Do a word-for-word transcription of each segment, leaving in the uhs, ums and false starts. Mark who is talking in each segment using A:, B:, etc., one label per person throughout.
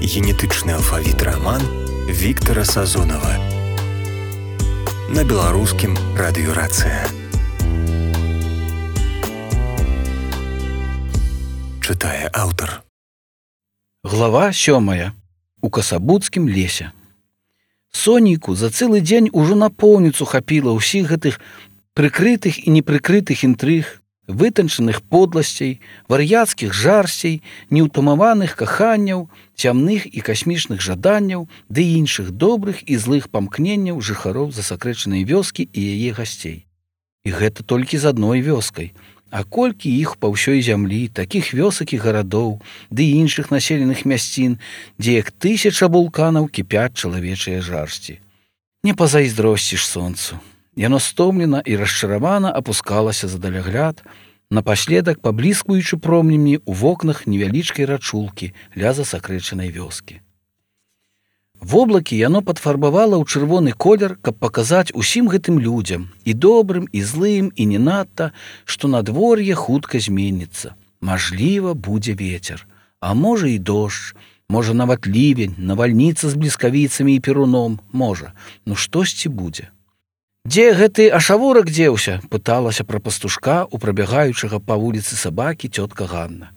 A: Генетычны алфавіт раман Віктара Сазонава на беларускім радыёрацыя. Чытае аўтар.
B: Глава сёмая. У касабуцкім лесе. Сонейку за цэлы дзень ужо напоўніцу хапіла ўсіх гэтых прыкрытых і непрыкрытых інтрыг, вытанчаных подласцей, вар'яцкіх жарсцей, неўтамаваных каханняў, цямных і касмічных жаданняў, ды іншых добрых і злых памкненняў жыхароў засакрэчанай вёскі і яе гасцей. І гэта толькі з адной вёскай. А колькі іх па ўсёй зямлі, такіх вёсак і гарадоў, ды іншых населеных мясцін, дзе як тысяча вулканаў кіпяць чалавечыя жарсці. Не пазайздросціш сонцу. Яно стомлена і расчаравана апускалася за далягляд, напаследак пабліскуючы промнямі ў вокнах невялічкай рачулкі ля засакрэчанай вёскі. Воблакі яно падфарбавала ў чырвоны колер, каб паказаць усім гэтым людзям, і добрым, і злым, і не надта, што надвор'е хутка зменіцца. Мажліва, будзе вецер, а можа і дождж, можа нават лівень, навальніца з бліскавіцамі і перуном, можа, ну штосьці будзе. «Дзе гэты ашавурак дзеўся?» – пыталася пра пастушка у прабягаючага па вуліцы сабакі цётка Ганна.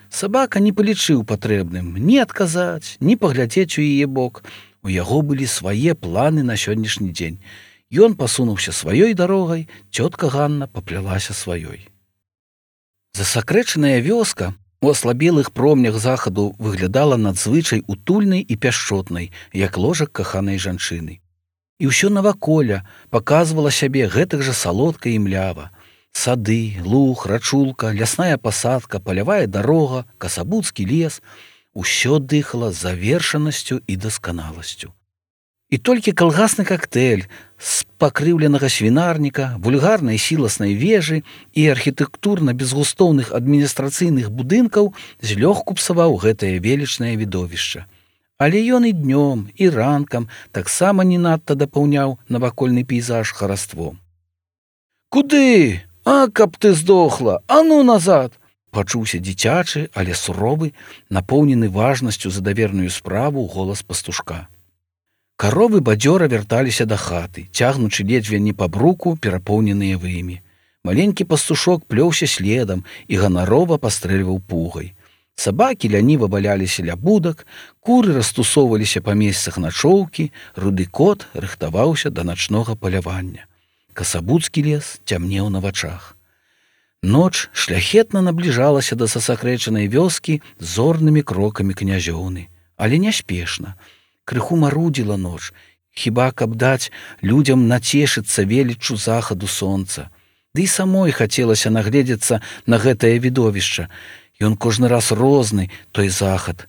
B: Сабака не палічыў патрэбным ні адказаць, ні паглядзець у яе бок. У яго былі свае планы на сённяшні дзень. Ён пасунуўся сваёй дарогай, цётка Ганна паплялася сваёй. Засакрэчаная вёска у аслабелых промнях захаду выглядала надзвычай утульнай і пяшчотнай, як ложак каханай жанчыны. І ўсё наваколля паказвала сябе гэтак жа салодка і млява. Сады, луг, рачулка, лясная пасадка, палявая дарога, касабуцкі лес — усё дыхала завершанасцю і дасканаласцю. І толькі калгасны кактэйль з пакрыўленага свінарніка, вульгарнай сіласнай вежы і архітэктурна-безгустоўных адміністрацыйных будынкаў злёгку псаваў гэтае велічнае відовішча. Але ён і днём, і ранкам таксама не надта дапаўняў навакольны пейзаж хараством. «Куды? А, каб ты здохла! А ну назад!» Пачуўся дзіцячы, але суровы, напоўнены важнасцю за даверную справу голас пастушка. Каровы бадзёра вярталіся да хаты, цягнучы ледзьве не па бруку перапоўненыя вымі. Маленькі пастушок плёўся следам і ганарова пастрэльваў пугай. Сабакі ляніва валяліся ля будак, куры растусоўваліся па месцах начоўкі, руды кот рыхтаваўся да начнога палявання. Касабуцкі лес цямнеў на вачах. Ноч шляхетна набліжалася да засакрэчанай вёскі зорнымі крокамі князёўны, але няспешна. Крыху марудзіла ноч, хіба каб даць людзям нацешыцца веліччу захаду сонца. Ды і самой хацелася нагледзецца на гэтае відовішча. Ён кожны раз розны, той захад.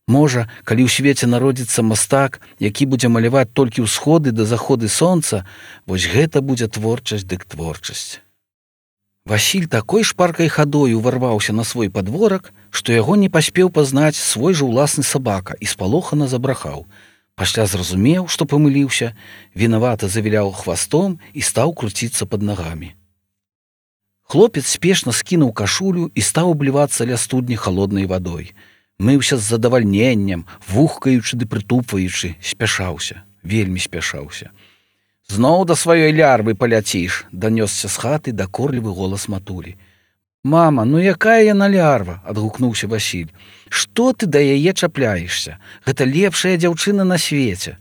B: Можа, калі ў свеце народзіцца мастак, які будзе маляваць толькі ўсходы да заходы сонца, вось гэта будзе творчасць дык творчасць. Васіль такой шпаркай хадою ўварваўся на свой падворак, што яго не паспеў пазнаць свой жа ўласны сабака і спалохана забрахаў. Пасля зразумеў, што памыліўся, вінавата завіляў хвастом і стаў круціцца пад нагамі. Хлопец спешна скінуў кашулю і стаў аблівацца ля студні халоднай вадой. Мыўся з задавальненнем, вухкаючы ды прытупваючы, спяшаўся, вельмі спяшаўся. «Зноў да сваёй лярвы паляціш!» – данёсся з хаты дакорлівы голас матулі. «Мама, ну якая яна лярва?» – адгукнуўся Васіль. «Што ты да яе чапляешся? Гэта лепшая дзяўчына на свеце!»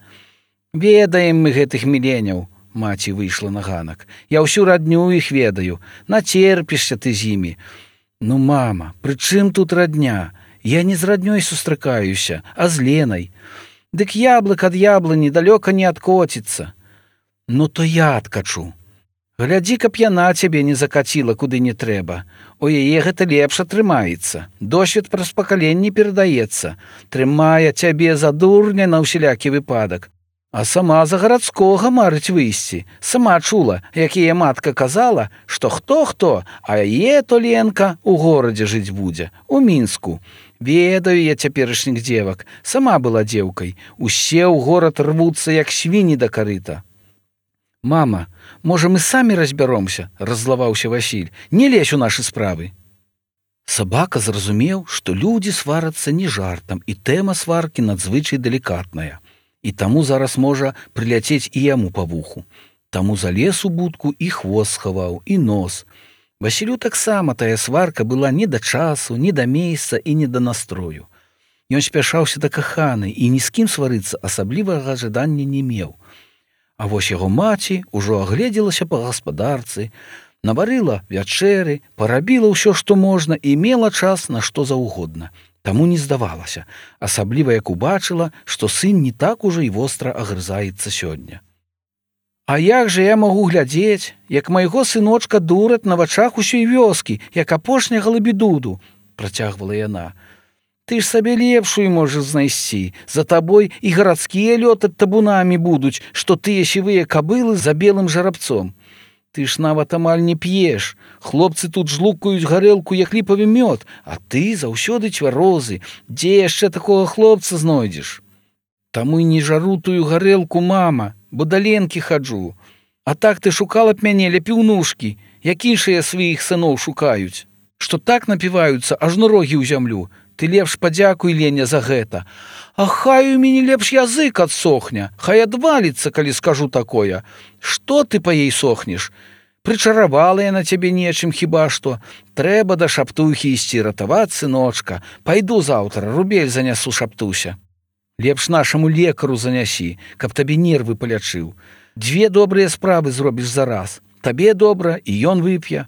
B: «Ведаем мы гэтых міленяў!» – маці выйшла на ганак. «Я ўсю радню іх ведаю. Нацерпішся ты з імі!» «Ну, мама, пры чым тут радня? Я не з раднёй сустракаюся, а з Ленай. Дык яблык ад яблыні далёка не адкоціцца. Ну, то я адкачу. Глядзі, каб яна цябе не закаціла, куды не трэба. У яе гэта лепш атрымаецца. Досвед праз пакаленні перадаецца. Трымае цябе за дурня на ўсялякі выпадак. А сама за гарадскога марыць выйсці. Сама чула, як яе матка казала, што хто-хто, а яе то Ленка у горадзе жыць будзе, у Мінску. Ведаю я цяперашніх дзевак, сама была дзеўкай. Усе ў горад рвуцца, як свіні да карыта. «Мама, можа, мы самі разбяромся?» – раззлаваўся Васіль. «Не лезь у нашы справы!» Сабака зразумеў, што людзі сварацца не жартам, і тэма сваркі надзвычай далікатная. І таму зараз можа прыляцець і яму па вуху. Таму залез у будку і хвост схаваў, і нос. Васілю таксама тая сварка была не да часу, не да месца і не да настрою. Ён спяшаўся да каханай і ні з кім сварыцца асаблівага жадання не меў. А вось яго маці ўжо агледзелася па гаспадарцы, наварыла вячэры, парабіла ўсё, што можна, і мела час на што заўгодна. Таму не здавалася, асабліва як убачыла, што сын не так ужо і востра агрызаецца сёння. «А як жа я магу глядзець, як майго сыночка дураць на вачах усёй вёскі, як апошняга лабедуду?» – працягвала яна. «Ты ж сабе лепшую можаш знайсці. За табой і гарадскія лётаць табунамі будуць, што тыя сівыя кабылы за белым жарабцом. Ты ж нават амаль не п'еш. Хлопцы тут жлукаюць гарэлку, як ліпавы мёд, а ты заўсёды цвярозы. Дзе яшчэ такога хлопца знойдзеш? Таму і не жару тую гарэлку, мама, бо да Ленкі хаджу. А так ты шукала б мяне ля піўнушкі, як іншыя сваіх сыноў шукаюць, што так напіваюцца, аж на рогі ў зямлю. Ты лепш падзякуй, Леня, за гэта. А хай у мяне лепш язык адсохне, хай адваліцца, калі скажу такое. Што ты па ей сохнеш? Прычаравала я на цябе нечым хіба што. Трэба да шаптухі ісці ратаваць, сыночка. Пайду заўтра, рубель занясу шаптуся. Лепш нашаму лекару занясі, каб табе нервы палячыў. Дзве добрыя справы зробіш зараз. Табе добра, і ён вып'е.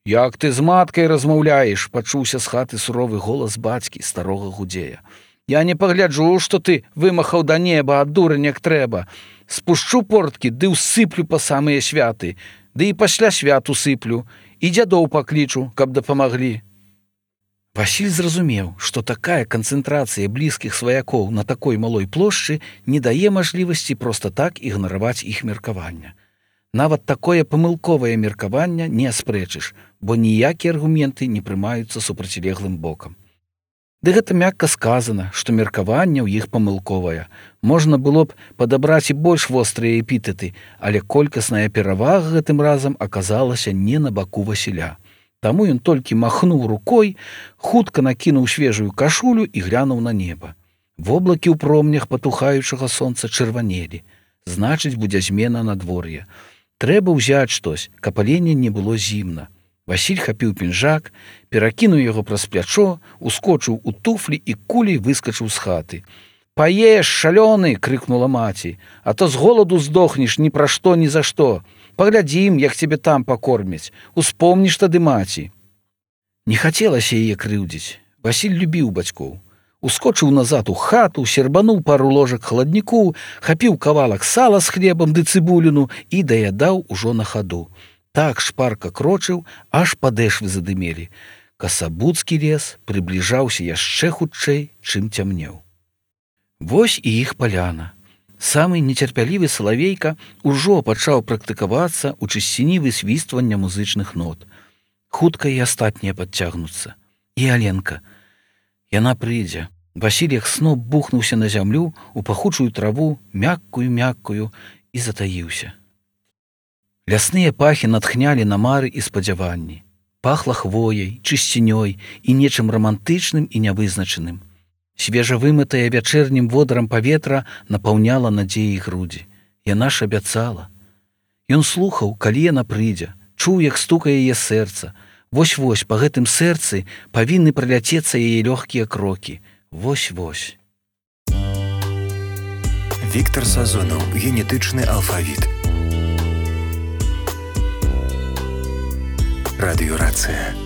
B: Як ты з маткай размаўляеш, пачуўся з хаты суровы голас бацькі, старога гудзея. Я не пагляджу, што ты вымахаў да неба, ад дурань як трэба. Спушчу порткі, ды ўсыплю па самыя святы, ды і пасля свят усыплю, і дзядоў паклічу, каб дапамаглі. Васіль зразумеў, што такая канцэнтрацыя блізкіх сваякоў на такой малой плошчы не дае мажлівасці проста так ігнараваць іх меркавання. Нават такое памылковае меркаванне не аспрэчыш, бо ніякія аргументы не прымаюцца супрацьлеглым бокам. Ды гэта мякка сказана, што меркаванне ў іх памылковае. Можна было б падабраць і больш вострыя эпітэты, але колькасная перавага гэтым разам аказалася не на баку Васіля. Таму ён толькі махнуў рукой, хутка накінуў свежую кашулю і глянуў на неба. Воблакі ў промнях патухаючага сонца чырванелі. Значыць, будзе змена надвор'я. Трэба ўзяць штось, каб аленя не было зімна. Васіль хапіў пінжак, перакінуў яго праз плячо, ускочыў у туфлі і кулей выскачыў з хаты. «Паеш, шалёны!» – крыкнула маці. «А то з голаду здохнеш ні пра што, ні за што. Паглядзім, як цябе там пакормяць. Успомніш тады маці». Не хацелася яе крыўдзіць. Васіль любіў бацькоў. Ускочыў назад у хату, сербануў пару ложак хладніку, хапіў кавалак сала з хлебам ды цыбуліну і даядаў ужо на хаду. Так шпарка крочыў, аж падэшвы задымелі. Касабуцкі лес прыбліжаўся яшчэ хутчэй, чым цямнеў. Вось і іх паляна. Самы нецярпялівы салавейка ўжо пачаў практыкавацца ў чысціні высвіствання музычных нот. Хутка і астатнія падцягнуцца. І Аленка. Яна прыйдзе. Васіль як сноп бухнуўся на зямлю, у пахучую траву, мяккую-мяккую, і затаіўся. Лясныя пахі натхнялі на мары і спадзяванні. Пахла хвояй, чысцінёй і нечым рамантычным і нявызначаным. Свежавымытая вячэрнім водарам паветра напаўняла надзеі грудзі. Яна ж абяцала. Ён слухаў, калі яна прыйдзе, чуў, як стукае яе сэрца. Вось-вось па гэтым сэрцы павінны праляцецца яе лёгкія крокі. Вось-вось.
A: Віктар Сазонаў. Генетычны алфавіт. Радыёрацыя.